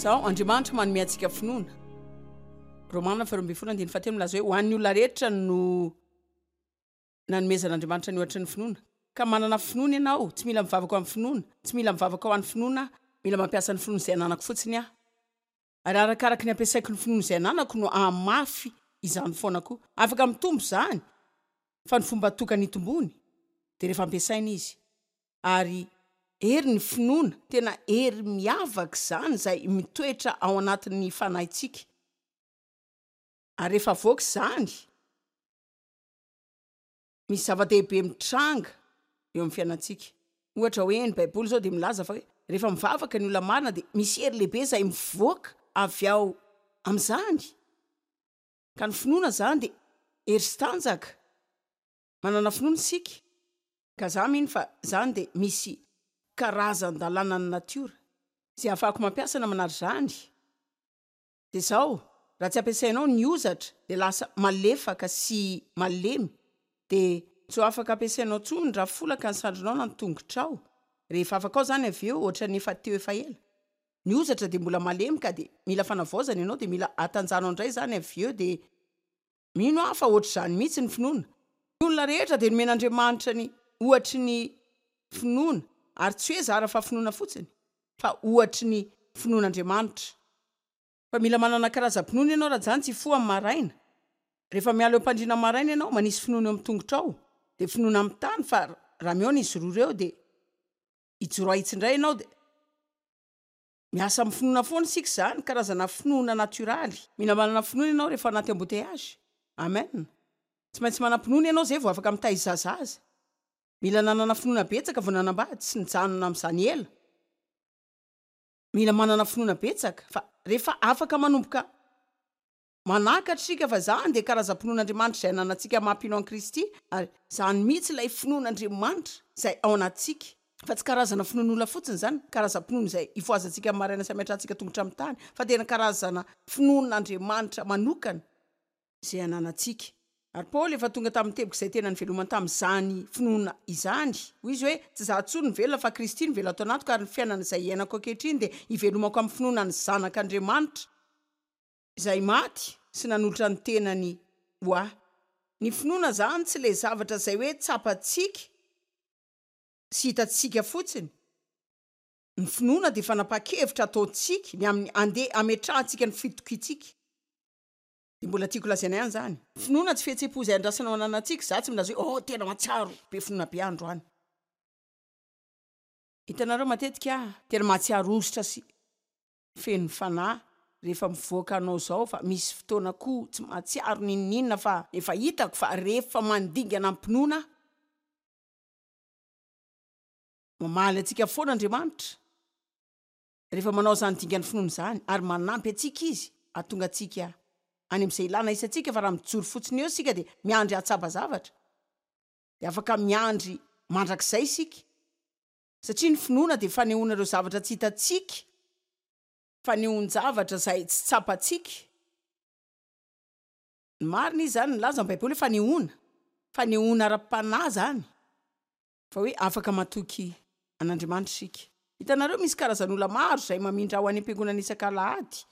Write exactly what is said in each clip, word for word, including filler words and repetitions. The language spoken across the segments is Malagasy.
Zao Andriamanitra manome antsika finoana. Romana faharoa ambin'ny folo andininy fahatelo milaza hoe ho an'ny olona rehetra no nanomezan'Andriamanitra ny ohatry ny finoana. Ka manana finoana ianao, tsy mila mivavaka ho an'ny finoana, tsy mila mivavaka ho an'ny finoana aho, mila mampiasa ny finoana izay ananako fotsiny aho. Ary arakaraky ny ampiasaiko ny finoana izay ananako no hahamafy izany foana koa. Afaka mitombo izany, fa ny fomba tokana hitomboany dia rehefa ampiasaina izy. Ary hery ny finoana, tena hery miavaka izany izay mitoetra ao anatin'ny fanahintsika. Ary rehefa avoaka izany, misy zava-dehibe mitranga eo amin'ny fiainantsika. Ohatra hoe ny Baiboly izao dia milaza fa hoe rehefa mivavaka ny olona marina dia misy hery lehibe izay mivoaka avy ao amin'izany. Ka ny finoana izany dia hery sy tanjaka. Manana finoana isika. Ka za mino fa izany dia misy karazan-dalànan'ny natiora izay ahafahako mampiasa na manary izany. Dia izao, raha tsy ampiasainao ny hozatra dia lasa malefaka sy malemy, dia tsy ho afaka ampiasainao intsony raha folaka ny sandrinao na ny tongotrao. Rehefa afaka ao izany avy eo, ohatran'ny efa teo efa ela. Ny hozatra dia mbola malemy ka dia mila fanavaozana ianao, dia mila atanjahanao indray izany avy eo. Dia mino aho fa ohatr'izany mihitsy ny finoana. Ny olona rehetra dia nomen'Andriamanitra ny ohatry ny finoana, ary tsy hoe zara fa finoana fotsiny, fa ohatry ny finoan'Andriamanitra. Fa mila manana karazam-pinoana ianao raha izany tsy hifoha amin'ny maraina. Rehefa miala eo am-pandriana maraina ianao, manisy finoana eo amin'ny tongotrao, dia finoana amin'ny tany, fa raha mihaona izy roa ireo dia hijoro hahitsy indray ianao. Dia miasa amin'ny finoana foana isika izany, karazana finoana natioraly. Mila manana finoana ianao rehefa anaty embouteillage. Amen. Tsy maintsy manam-pinoana ianao izay vao afaka mitaiza zaza. Mila nanana finoana betsaka vao nanambady sy nijanona amin'izany ela. Mila manana finoana betsaka fa rehefa afaka manomboka manakatra isika fa izany dia karazam-pinoan'Andriamanitra izay ananantsika mampino an'i Kristy, ary izany mihitsy ilay finoan'Andriamanitra izay ao anatintsika, fa tsy karazana finoan'olona fotsiny izany, karazam-pinoana izay ifohazantsika amin'ny maraina sy ametrahantsika tongotra amin'ny tany, fa tena karazana finoan'Andriamanitra manokana izay ananantsika. Ary Paoly efa tonga tamin'ny teboka izay tena nivelomany tamin'izany finoana izany. Hoy izy hoe, Tsy izaho intsony no velona, fa Kristy no velona ato anatiko, ary ny fiainana izay iainako ankehitriny dia ivelomako amin'ny finoana ny Zanak'Andriamanitra, izay maty sy nanolotra ny tenany ho ahy. Ny finoana izany tsy ilay zavatra izay hoe tsapantsika sy hitantsika fotsiny. Ny finoana dia fanapahan-kevitra ataontsika ny amin'ny andeha hametrahantsika ny fitokiantsika. Dia mbola tiako lazaina ihany izany. Finoana tsy fihetseham-po izay andrasana ho ananantsika. Izaho tsy milaza hoe, oh, tena mahatsiaro be finoana be aho androany. Hitanareo, matetika aho tena mahatsiaro ositra sy feno fanahy rehefa mivoaka anao izao, fa misy fotoana koa tsy mahatsiaro n'inon'inona, fa efa hitako fa rehefa mandingana am-pinoana aho, mamaly antsika foana Andriamanitra rehefa manao izany dingan'ny finoana izany, ary manampy antsika Izy hahatonga antsika any amin'izay ilana hisy antsika. Fa raha mijoro fotsiny eo isika dia miandry hahatsapa zavatra, dia afaka miandry mandrakizay isika, satria ny finoana dia fanehoana ireo zavatra tsy hitantsika, fanehoan-javatra izay tsy tsapantsika. Ny marina izy izany, nilaza ny Baiboly hoe fanehoana, fanehoana ara-panahy izany, fa hoe afaka matoky an'Andriamanitra isika. Hitanareo, misy karazan'olona maro izay mamindra ho any am-piangonana isak'alahady,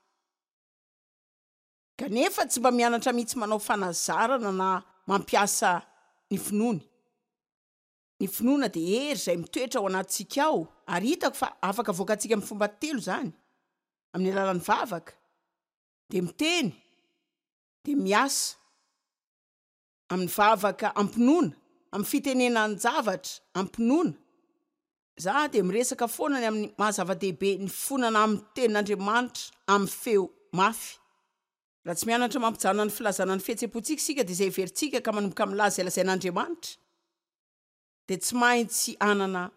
kanefa tsy mba mianatra mihitsy manao fanazarana na mampiasa ny finoany. Ny finoana dia hery izay mitoetra ao anatintsika ao, ary hitako fa afaka avoakantsika amin'ny fomba telo izany, amin'ny alalan'ny vavaka, dia miteny, dia miasa. Amin'ny vavaka am-pinoana, amin'ny fitenenan-javatra am-pinoana. Izaho dia miresaka foana ny amin'ny maha zava-dehibe ny fonana amin'ny tenin'Andriamanitra amin'ny feo mafy. Raha tsy mianatra mampijanona ny filazana ny fihetseham-pontsika isika, dia izay heverintsika ka manomboka milaza izay lazain'Andriamanitra, dia tsy maintsy hanana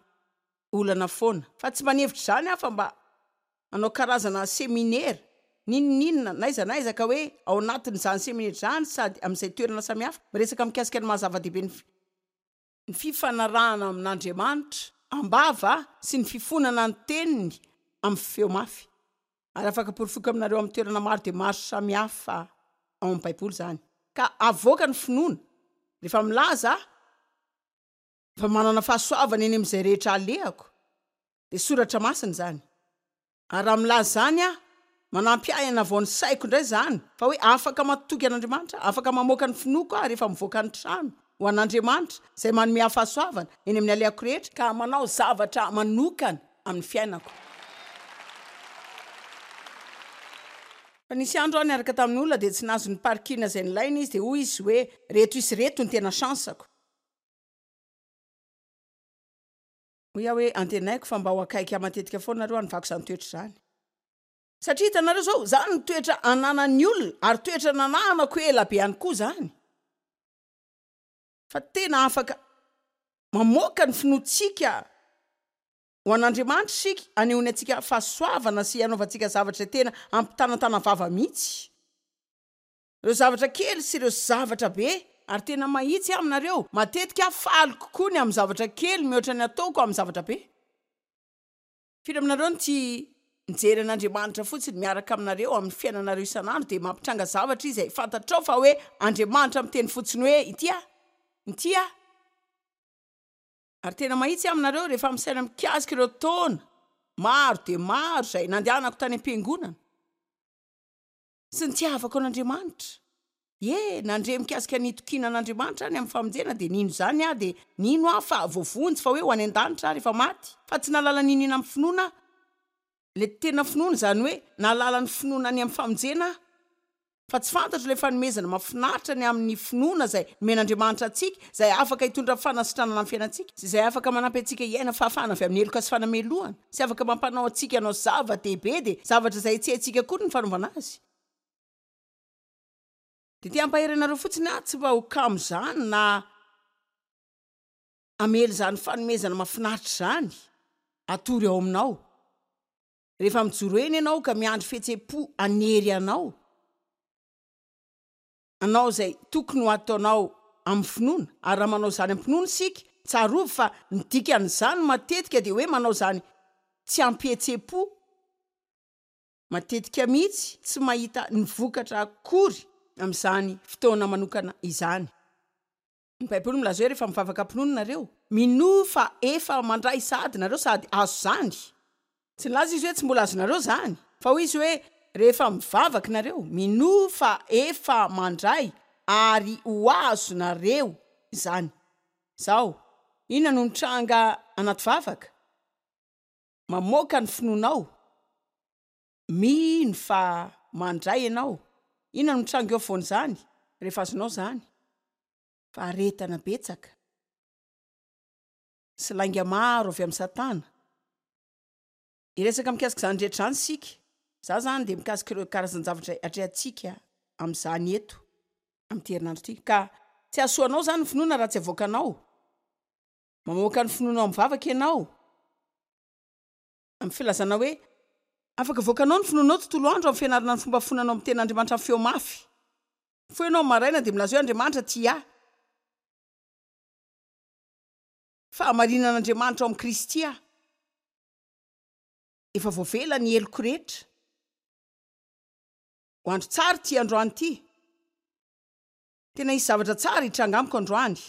olana foana. Fa tsy mba nihevitra izany aho fa mba hanao karazana seminera, n'inon'inona, n'aiza n'aiza, ka hoe ao anatin'izany seminera izany sady amin'izay toerana samihafa, miresaka mikasika ny maha zava-dehibe ny ny fifanarahana amin'Andriamanitra am-bava sy ny fifonana ny teniny amin'ny feo mafy. Ary afaka porofoiko aminareo amin'ny toerana maro dia maro samihafa ao amin'ny Baiboly izany. Ka avoaka ny finoana rehefa milaza fa manana fahasoavana eny amin'izay rehetra alehako, dia soratra masina izany. Ary raha milaza izany aho, Manampy ahy hanavao ny saiko indray izany fa hoe afaka matoky an'Andriamanitra aho, afaka mamoaka ny finoako aho rehefa mivoaka ny trano ho an'Andriamanitra izay manome ahy fahasoavana eny amin'ny alehako rehetra ka manao zavatra manokana amin'ny fiainako. Fa nisy andro aho niaraka tamin'ny olona dia tsy nahazo ny parking izay nilainy izy dia hoy izy hoe reto isy reto ny tena chance-ko. Hoy aho hoe antenaiko fa mba ho akaiky ahy matetika foana nareo hanovako izany toetra izany. Satria hitanareo izao, izany no toetra ananan'ny olona ary toetra nananako ela be ihany koa izany. Fa tena afaka mamoaka ny finoantsika ho an'Andriamanitra isika, hanehoany antsika fahasoavana sy hanaovantsika zavatra izay tena hampitanantana vava mihitsy. Ireo zavatra kely sy ireo zavatra be. Ary tena mahitsy aho aminareo, matetika aho faly kokoa ny amin'ny zavatra kely mihoatra ny ataoko amin'ny zavatra be. Firy aminareo no tia mijery an'Andriamanitra fotsiny miaraka aminareo amin'ny fiainanareo isan'andro dia mampitranga zavatra Izy izay fantatrao fa hoe Andriamanitra miteny fotsiny hoe ity aho, ity aho. Ary tena mahitsy aho aminareo rehefa misaina mikasika ireo taona maro dia maro izay nandehanako tany am-piangonana sy nitiavako an'Andriamanitra. Ie, nandre mikasika ny hitokiana an'Andriamanitra aho ny amin'ny famonjena dia nino izany aho dia nino aho fa voavonjy fa hoe ho any an-danitra aho rehefa maty fa tsy nahalala n'inona amin'ny finoana aho. Ilay tena finoana izany hoe nahalala ny finoana ny amin'ny famonjena aho fa tsy fantatro ilay fanomezana mahafinaritra ny amin'ny finoana izay nomen'Andriamanitra antsika izay afaka hitondra fanasitranana amin'ny fiainantsika sy izay afaka manampy antsika hiaina fahafahana avy amin'ny heloka sy fanamelohana sy afaka mampanao antsika hanao zava-dehibe dia zavatra izay tsy haintsika akory ny fanaovana azy. Dia te hampahery anareo fotsiny aho tsy mba ho kamo izany na hamely izany fanomezana mahafinaritra izany hatory ao aminao. Rehefa mijoro eny ianao ka miandry fihetseham-po hanery anao hanao izay tokony ho ataonao amin'ny finoana, ary raha manao izany am-pinoana isika, tsarovy fa ny dikan'izany matetika dia hoe manao izany tsy am-pihetseham-po, matetika mihitsy tsy mahita ny vokatra akory amin'izany fotoana manokana izany. Ny Baiboly milaza hoe rehefa mivavaka am-pinoana nareo, minoa fa efa mandray sahady nareo sady azo izany. Tsy nilaza izy hoe tsy mbola azonareo izany, fa hoy izy hoe rehefa mivavaka nareo, minoa fa efa mandray ary ho azonareo izany. Izao, inona no mitranga anaty vavaka? Mamoaka ny finoanao. Mino fa mandray ianao. Inona no mitranga eo afovoan'izany rehefa azonao izany? Faharetana betsaka sy lainga maro avy amin'i Satana. Hiresaka mikasika izany rehetra izany isika. Izaho izany dia mikasika ireo karazan-javatra atrehantsika amin'izany eto amin'ity herinandro ity. Ka tsy hahasoa anao izany ny finoana raha tsy avoakanao. Mamoaka ny finoanao amin'ny vavaka ianao. Amin'ny filazana hoe, Afaka avoakanao ny finoanao tontolo andro amin'ny fianarana ny fomba fonanao amin'ny tenin'Andriamanitra amin'ny feo mafy. Mifoha ianao amin'ny maraina dia milaza hoe, Andriamanitra tia ahy. Fahamarinan'Andriamanitra ao amin'i Kristy aho. Efa voavela ny heloko rehetra. Ho andro tsara ity androany ity. Tena hisy zavatra tsara hitranga amiko androany.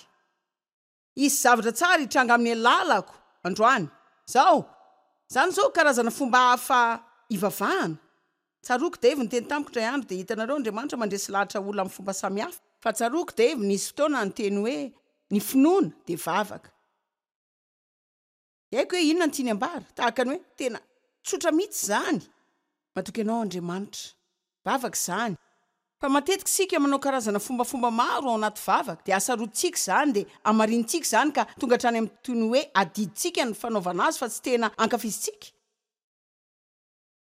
Hisy zavatra tsara hitranga amin'ny alalako androany. Izao, izany izao karazana fomba hafa hivavahana. Tsaroako Dave niteny tamiko indray andro, dia hitanareo Andriamanitra mandresy lahatra olona amin'ny fomba samihafa. Fa tsaroako Dave nisy fotoana niteny hoe ny finoana dia vavaka. Tsy haiko hoe inona no tiany ambara. Tahaka ny hoe tena tsotra mihitsy izany. Matoky anao Andriamanitra. Vavaka izany. Fa matetika isika manao karazana fombafomba maro ao anaty vavaka, dia asarotintsika izany, dia hamarinintsika izany ka tonga hatrany amin'ny toy ny hoe adidintsika ny fanaovana azy fa tsy tena ankafizintsika.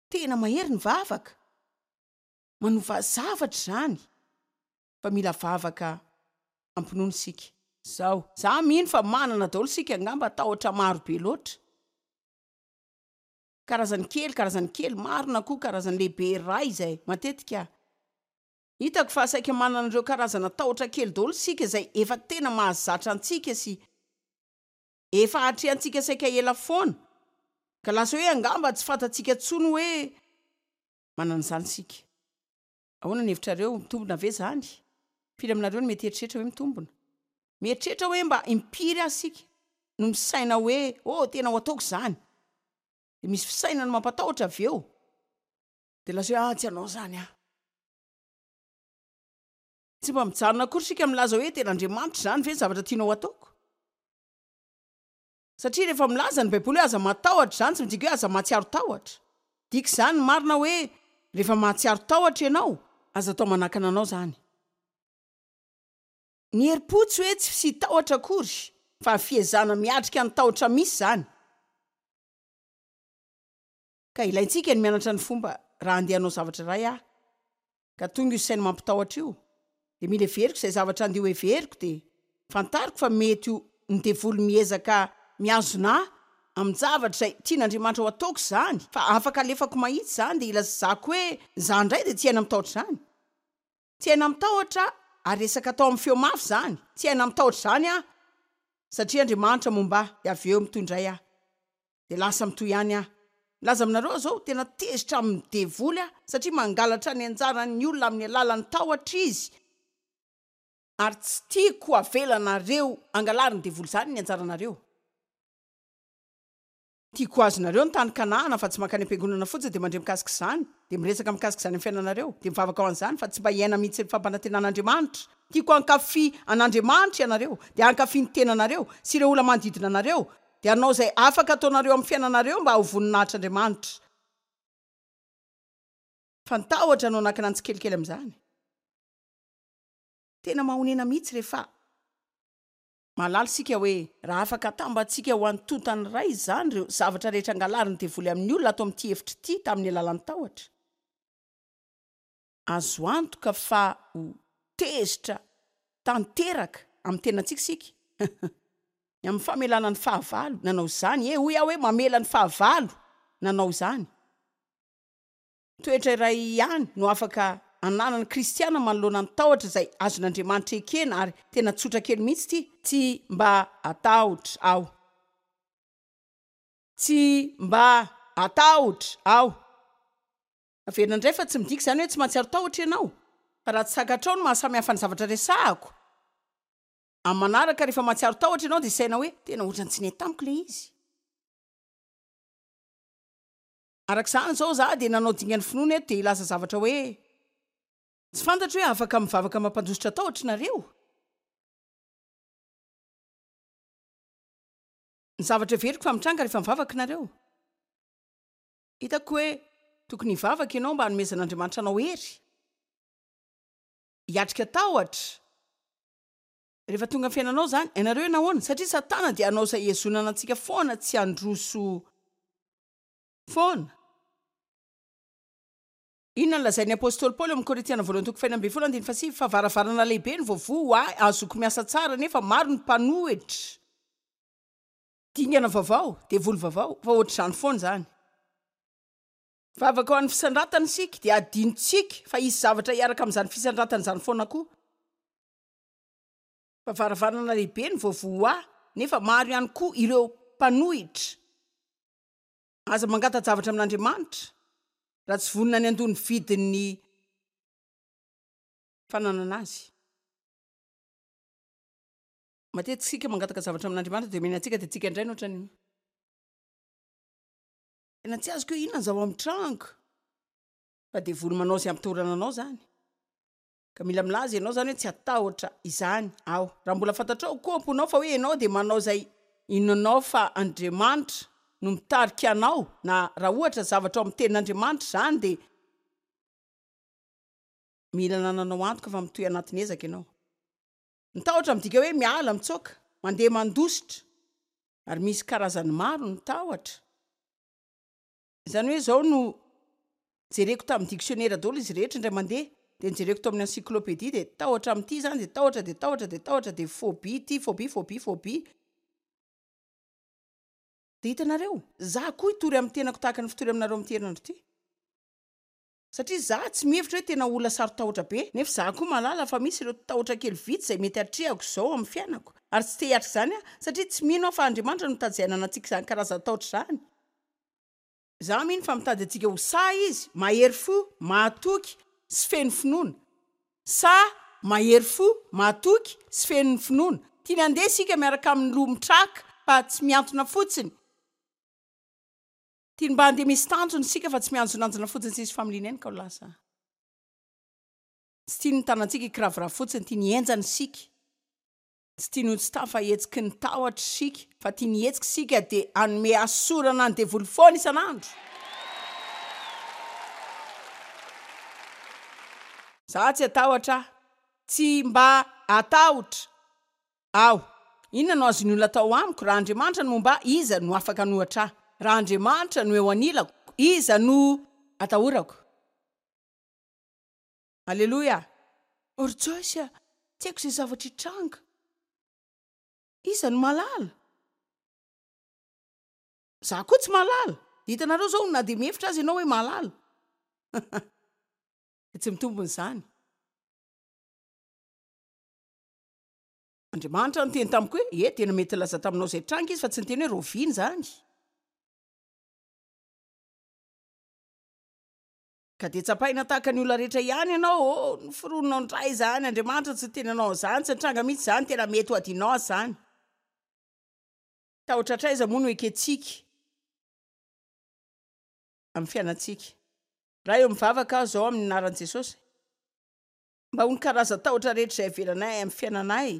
Tena mahery ny vavaka. Manova zavatra izany. Fa mila vavaka am-pinoana isika. Izao. Za mino fa manana daholo isika angamba tahotra maro be loatra. Karazany kely, karazany kely, maro na koa karazany lehibe iray izay matetika hitako fa saika manana ireo karazana tahotra kely daholo isika izay efa tena mahazatra antsika sy efa atrehantsika saika ela foana ka lasa hoe angamba tsy fantatsika intsony hoe manana izany isika. Ahoana ny hevitrareo? Mitombina ve izany? Firy aminareo no mety hieritreritra hoe mitombina? Mieritreritra hoe mba impiry aza isika no misaina hoe, Oh, tena ho ataoko izany! Dia misy fisainana mampatahotra avy eo. Dia lasa hoe, ah, tsy hanao izany aho. Tsy mba mijanona akory isika milaza hoe tena Andriamanitra izany ve ny zavatra tianao hataoko? Satria rehefa milaza ny Baiboly hoe aza matahotra izany tsy midika hoe aza mahatsiaro tahotra. Dika izany ny marina hoe rehefa mahatsiaro tahotra ianao, aza atao manakana anao izany. Ny herim-po tsy hoe tsy fisian-tahotra akory fa fiezahana miatrika ny tahotra misy izany. Ka ilaintsika ny mianatra ny fomba raha andeha hanao zavatra iray aho ka tonga io saina mampitahotra io dia mila heveriko izay zavatra andeha ho heveriko dia fantariko fa mety ho ny devoly miezaka mihazona ahy amin-javatra izay tian'Andriamanitra ho ataoko izany fa afaka alefako mahitsy izany dia ilazako hoe izaho indray dia tsy hiaina amin'ny tahotra izany. Tsy hiaina amin'ny tahotra aho ary resaka atao amin'ny feo mafy izany. Tsy hiaina amin'ny tahotra izany aho satria Andriamanitra momba ahy dia avy eo mitohy indray aho dia lasa mitohy ihany aho. Milaza aminareo aho izao, tena tezitra amin'ny devoly aho satria mangalatra ny anjaran'ny olona amin'ny alalan'ny tahotra izy ary tsy tiako avelanareo hangalarin'ny devoly izany ny anjaranareo. Tiako ho azonareo ny tany Kanana fa tsy mankany am-piangonana fotsiny dia mandre mikasika izany, dia miresaka mikasika izany amin'ny fiainanareo, dia mivavaka ho an'izany fa tsy mba hiaina mihitsy ny fampanantenan'Andriamanitra. Tiako hankafy an'Andriamanitra ianareo, dia hankafy ny tenanareo sy ireo olona manodidina anareo, dia hanao izay afaka ataonareo amin'ny fiainanareo mba ho voninahitr'Andriamanitra. Fa ny tahotra no hanakana ny tsikelikely amin'izany. Tena mahonena mihitsy rehefa mahalala isika hoe raha afaka atambatsika ho antontany iray izany ireo zavatra rehetra angalarin'ny devoly amin'ny olona ato amin'ity efitra ity tamin'ny alalan'ny tahotra. Azo antoka fa ho tezitra tanteraka amin'ny tenantsika isika ny amin'ny famelana ny fahavalo nanao izany. E, hoy aho hoe mamela ny fahavalo nanao izany. Toetra iray ihany no afaka ananan'ny kristiana manoloana ny tahotra izay azon'Andriamanitra ekena ary tena tsotra kely mihitsy ity. Tsy mba hatahotra aho. Tsy mba hatahotra aho. Averina indray fa tsy midika izany hoe tsy mahatsiaro tahotra ianao. Fa raha tsy takatrao ny mahasamihafa ny zavatra resahako, amin'ny manaraka rehefa mahatsiaro tahotra ianao dia saina hoe tena ohatran'ny tsy nety tamiko ilay izy. Araka izany izao izaho dia nanao dingan'ny finoana eto dia hilaza zavatra hoe tsy fantatro hoe afaka mivavaka mampandositra tahotra nareo. Ny zavatra heveriko fa mitranga rehefa mivavaka nareo. Hitako hoe tokony hivavaka ianao mba hanomezan'Andriamanitra anao hery hiatrika tahotra. Rehefa tonga amin'ny fiainanao izany, ianareo hoe nahoana? Satria Satana dia hanao izay hihazonana antsika foana tsy handroso foana. Inona no lazain'ny apostoly Paoly ao amin'ny Korintiana voalohany toko fahenina ambin'ny folo andininy fahasivy? Fa varavarana lehibe no voavoha ho ahy ahazoako miasa tsara, nefa maro ny mpanohitra. Dingana vaovao, devoly vaovao, fa ohatr'izany foana izany. Vavaka ho an'ny fisandratana isika, dia adinontsika fa hisy zavatra hiaraka amin'izany fisandratana izany foana koa. Fa varavarana lehibe no voavoha ho ahy, nefa maro ihany koa ireo mpanohitra. Aza mangata-javatra amin'Andriamanitra raha tsy vonona ny handoa ny vidin'ny fananana azy. Matetika isika mangataka zavatra amin'Andriamanitra dia omeny antsika dia tsika indray no ohatran'ny tena tsy azoko hoe inona ny zava-mitranga fa devoly manao izay hampitahorana anao izany. Ka mila milaza ianao izany hoe tsy hatahotra izany aho. Raha mbola fantatrao koa am-ponao fa hoe ianao dia manao izay inoanao fa Andriamanitra no mitarika anao na raha ohatra zavatra ao amin'ny tenin'Andriamanitra izany dia mila anananao antoka fa mitohy anatin'ny ezaka ianao. Ny tahotra midika hoe miala, mitsoaka, mandeha mandositra ary misy karazany maro ny tahotra. Izany hoe izao no jereko tamin'ny dictionnaire daholo izy rehetra indray mandeha dia nojereko tao amin'ny encyclopédie dia tahotra amin'ity izany dia tahotra dia tahotra dia tahotra dia phobie ity phobie phobie phobie dia hitanareo za koa hitory amin'ny tenako tahaka ny fitory aminareo amin'ity herinandro ity satria za tsy mihevitra hoe tena olona saro-tahotra be nefa za koa mahalala fa misy ireo tahotra kely vitsy izay mety hatrehako izao amin'ny fiainako ary tsy te hiatrika izany aho satria tsy mino aho fa Andriamanitra no mitady izay hananantsika izany karazan-tahotra izany. Izaho mino fa mitady antsika ho sahy Izy, mahery fo, mahatoky, sy feno finoana. Sahy, mahery fo, mahatoky, sy feno ny finoana. Tiany handeha isika miaraka amin'ny loha mitraka fa tsy mihantona fotsiny. Tiany mba handeha misy tanjona isika fa tsy mianjonanjona fotsiny tsisy familiana eny ka ho lasa. Tsy tiany ny tanantsika hikiraviravy fotsiny, tiany hihenjana isika. Tsy tiany ho tsy tafahetsiky ny tahotra isika fa tiany hihetsika isika dia hanome hasorana ny devoly foana isan'andro. Za tsy hatahotra aho. Tsy mba hatahotra aho. Inona no azon'ny olona atao amiko? Raha Andriamanitra no momba ahy, iza no afaka hanohitra ahy? Raha Andriamanitra no eo anilako, iza no atahorako? Aleloia! O ry Joyce a! Tsy haiko izay zavatra hitranga. Iza no mahalala? Za koa tsy mahalala. Dia hitanareo izao, na dia mihevitra aza ianao hoe mahalala, dia tsy mitombina izany. Andriamanitra niteny tamiko hoe, Ie, tena mety nilaza taminao izay tranga izy, fa tsy niteny hoe rahoviana izany. Ka dia tsapaina tahaka ny olona rehetra ihany ianao, Oh, noforoninao indray izany, Andriamanitra tsy niteny anao an'izany, tsy nitranga mihitsy izany, tena mety ho adinonao aza izany. Tahotra hatraiza moa no ekentsika amin'ny fiainantsika? Ray ô, mivavaka aho izao amin'ny anaran'i Jesosy, mba ho ny karazan-tahotra rehetra izay avelanay amin'ny fiainanay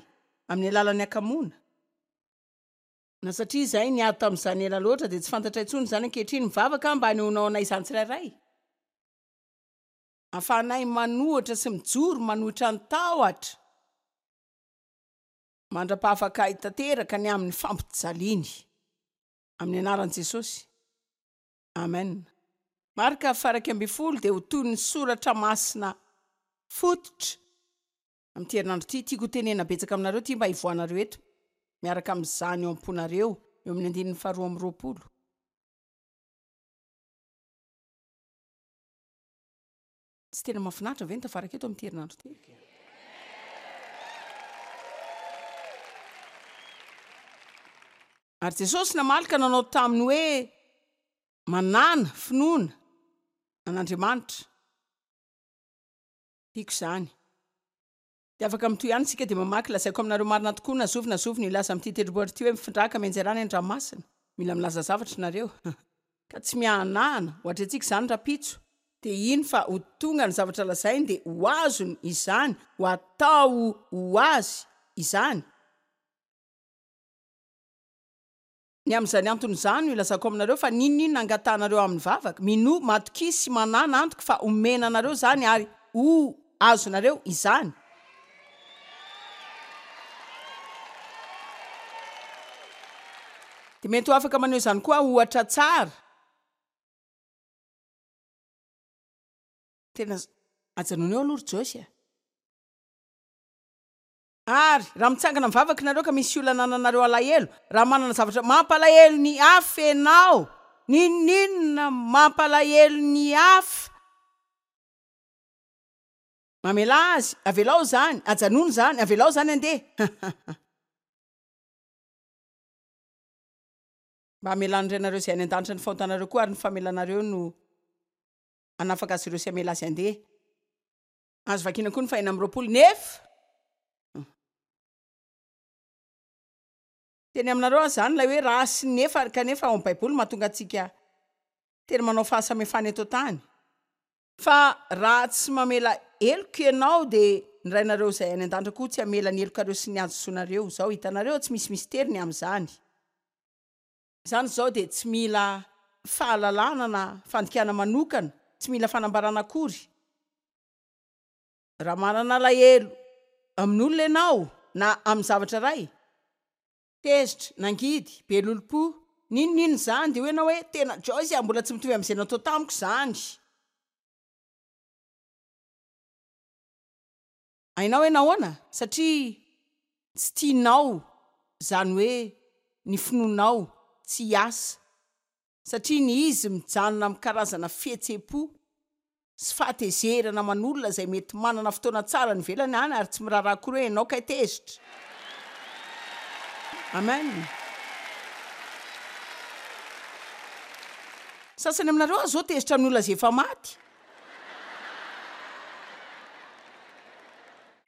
amin'ny alalan'ny hakamoana. Na satria izahay niady tamin'izany ela loatra dia tsy fantatray intsony izany ankehitriny. Mivavaka aho mba hanehoanao anay izany tsirairay. Ahafahanay manohitra sy mijoro manohitra ny tahotra mandra-pahafaka ahy tanteraka ny amin'ny fampijaliany. Amin'ny anaran'i Jesosy. Amen. Marka faha-iraika ambin'ny folo dia ho toy ny soratra masina fototra amin'ity herinandro ity. Tiako hotenenina betsaka aminareo ity mba hivoahanareo eto miaraka amin'izany eo am-ponareo, eo amin'ny andininy faharoa amby roapolo. Tsy tena mahafinaritra ve ny tafaraka eto amin'ity herinandro ity? Ary Jesosy namaly ka nanao taminy hoe, Manàna finoana an'Andriamanitra. Tiako izany. Dia afaka mitohy ihany isika dia mamaky, Lazaiko aminareo marina tokoa, na zovy na zovy no hilaza amin'ity tendrombohitra ity hoe, Mifindrà ka mianjera any an-dranomasina. Mila milaza zavatra nareo. Ka tsy miahanahana, ho atrehintsika izany rahampitso. Dia hino fa ho tonga ny zavatra lazainy dia ho azony izany, ho atao ho azy izany. Ny amin'izany antony izany no ilazako aminareo fa n'inon'inona angatahanareo amin'ny vavaka, minoa, matokia sy manàna antoka fa homena anareo izany ary ho azonareo izany. Dia mety ho afaka maneho izany koa aho ohatra tsara. Tena ajanony eo aloha ry Joyce a! Ary raha mitsangana mivavaka nareo ka misy olona anananareo alahelo, raha manana zavatra mampalahelo ny hafa ianao, n'inon'inona mampalahelo ny hafa, mamelà azy, avelao izany, ajanony izany, avelao izany handeha. Mba hamelan'ny Rainareo izay any an-danitra ny fahotanareo koa, ary ny famelanareo no hanafaka azy ireo sy hamela azy handeha. Azo vakiana koa ny fahenina amby roapolo, nefa. Teny aminareo aho izany ilay hoe raha sy nefa kanefa ao amin'ny Baiboly mahatonga antsika tena manao fahasamihafana eto an-tany. Fa raha tsy mamela heloka ianao dia ny Rainareo izay any an-danitra koa tsy hamela ny helokareo sy ny hadisoanareo. Izao, hitanareo, tsy misy mistery ny amin'izany. Izany izao dia tsy mila fahalalana na fandikana manokana, tsy mila fanambarana akory. Raha manana alahelo amin'olona ianao na amin'ny zavatra iray, tezitra, nangidy, be lolompo, n'inon'inona izany, dia hoy ianao hoe, Tena Joyce a, mbola tsy mitovy amin'izay natao tamiko izany. Hainao hoe nahoana? Satria tsy tianao izany hoe ny finoanao tsy hiasa, satria ny izy mijanona amin'ny karazana fihetseham-po sy fahatezerana aman'olona izay mety manana fotoana tsara any ivelany any ary tsy miraharaha akory hoe ianao kay tezitra. Amen. Sasany aminareo aza zao tezitra amin'ny olona izay efa maty.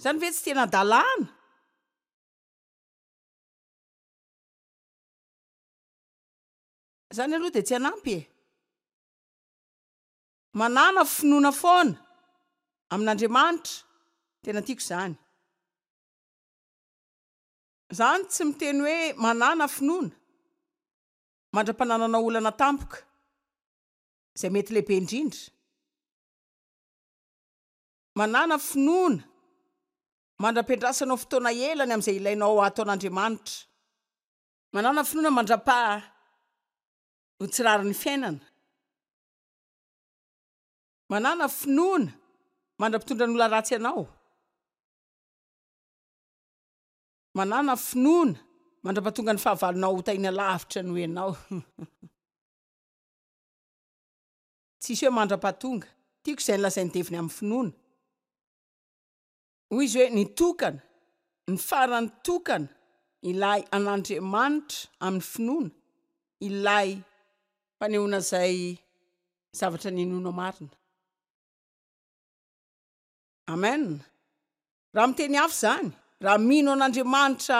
Izany ve tsy tena hadalana? Izany aloha dia tsy hanampy e! Manana finoana foana amin'Andriamanitra, tena tiako izany. Izany tsy miteny hoe manana finoana mandra-pananana olana tampoka, izay mety lehibe indrindra. Manana finoana mandra-piandrasanao fotoana ela ny amin'izay ilainao hataon'Andriamanitra. Manana finoana mandra-paha ho tsy rarin'ny fiainana. Manana finoana mandra-pitondra ny olona ratsy anao. Manana finoana mandra-pahatonga ny fahavalonao ho tahiana lavitra noho ianao. Tsisy hoe mandra-pahatonga. Tiako izay nolazain'i Deviny amin'ny finoana. Hoy izy hoe ny tokana, ny farany tokana, ilay an'Andriamanitra amin'ny finoana, ilay fanehoana izay zavatra ninoanao marina. Amen. Raha miteny hafa izany, raha mino an'Andriamanitra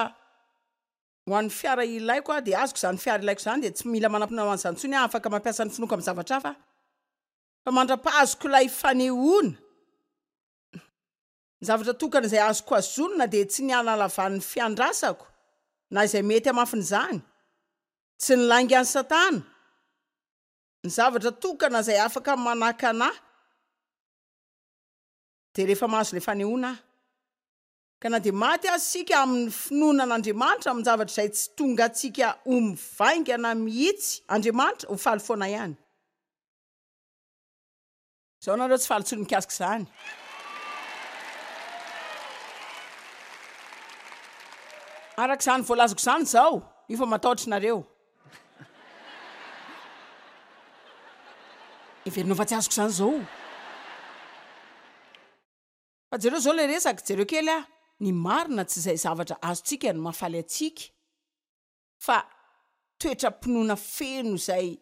ho an'ny fiara ilaiko aho, dia azoko izany fiara ilaiko izany, dia tsy mila manam-pinoana ho an'izany intsony aho, afaka mampiasa ny finoako amin'ny zavatra hafa aho. Fa mandra-pahazoko ilay fanehoana, ny zavatra tokana izay azoko hazonina dia tsy ny hanalavan'ny fiandrasako na izay mety hamafin'izany, tsy ny laingan'i Satana. Ny zavatra tokana izay afaka manakana ahy dia rehefa mahazo ilay fanehoana aho. Ka na dia maty aza isika amin'ny finoana an'Andriamanitra amin-javatra izay tsy tonga antsika ho mivaingana mihitsy, Andriamanitra ho faly foana ihany. Izao nareo tsy faly intsony mikasika izany. Araka izany voalazako izany izao, io fa matahotra nareo. Heverinao fa tsy azoko izany izao. Fa jereo izao ilay resaka, jereo kely aho. Ny marina tsy izay zavatra azontsika no mahafaly antsika fa toetram-pinoana feno izay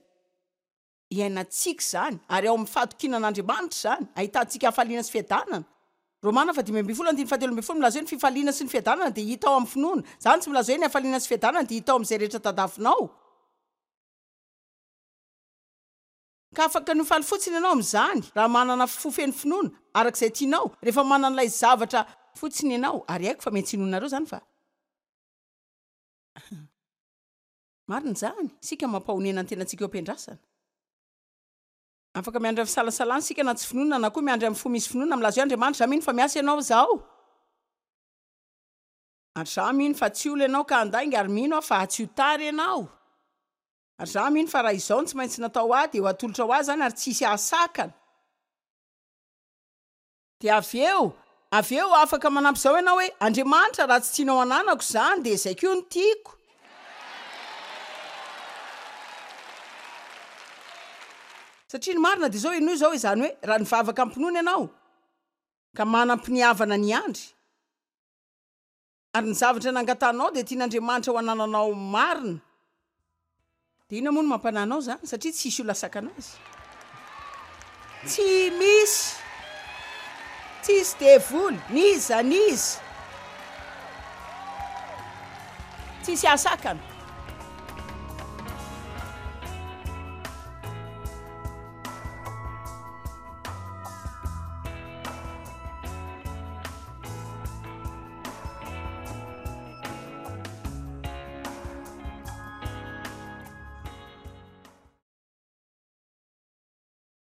iainantsika izany ary ao amin'ny fahatokiana an'Andriamanitra izany ahitantsika hafaliana sy fiadanana. Romana fahadimy ambin'ny folo andininy fahatelo ambin'ny folo milaza hoe ny fifaliana sy ny fiadanana dia hita ao amin'ny finoana. Izany tsy milaza hoe ny hafaliana sy fiadanana dia hita ao amin'izay rehetra tadavinao. Ka afaka ny ho faly fotsiny ianao amin'izany raha manana fo feno finoana araka izay tianao, rehefa manana ilay zavatra fotsiny ianao, ary haiko fa mety tsy hinoanareo izany fa marina izany, isika mampahonena ny tenantsika eo am-piandrasana. Afaka miandry amin'ny fisalasalana isika na tsy finoana na koa miandry amin'ny fo misy finoana milaza hoe Andriamanitra, izaho mino fa miasa ianao izao, ary izaho mino fa tsy olona ianao ka handainga, ary mino aho fa tsy ho tara ianao. Ary izaho mino fa raha izao no tsy maintsy natao ho ahy dia ho atolotra ho ahy izany ary tsy hisy hahasakana. Dia avy eo, avy eo afaka manampy izao ianao hoe, Andriamanitra, raha tsy tianao hananako izany dia izay koa no tiako. Satria ny marina dia izao, henoy izao, izany hoe raha nivavaka am-pinoana ianao ka manam-piniavana ny hiandry, Ary ny zavatra nangatahanao dia tian'Andriamanitra ho anananao marina. Dia inona moa no mampanahy anao izany? Satria tsy hisy olona sakana azy. Tsy misy. Tsy hisy devoly, n'iza n'iza. Tsy hisy hahasakana.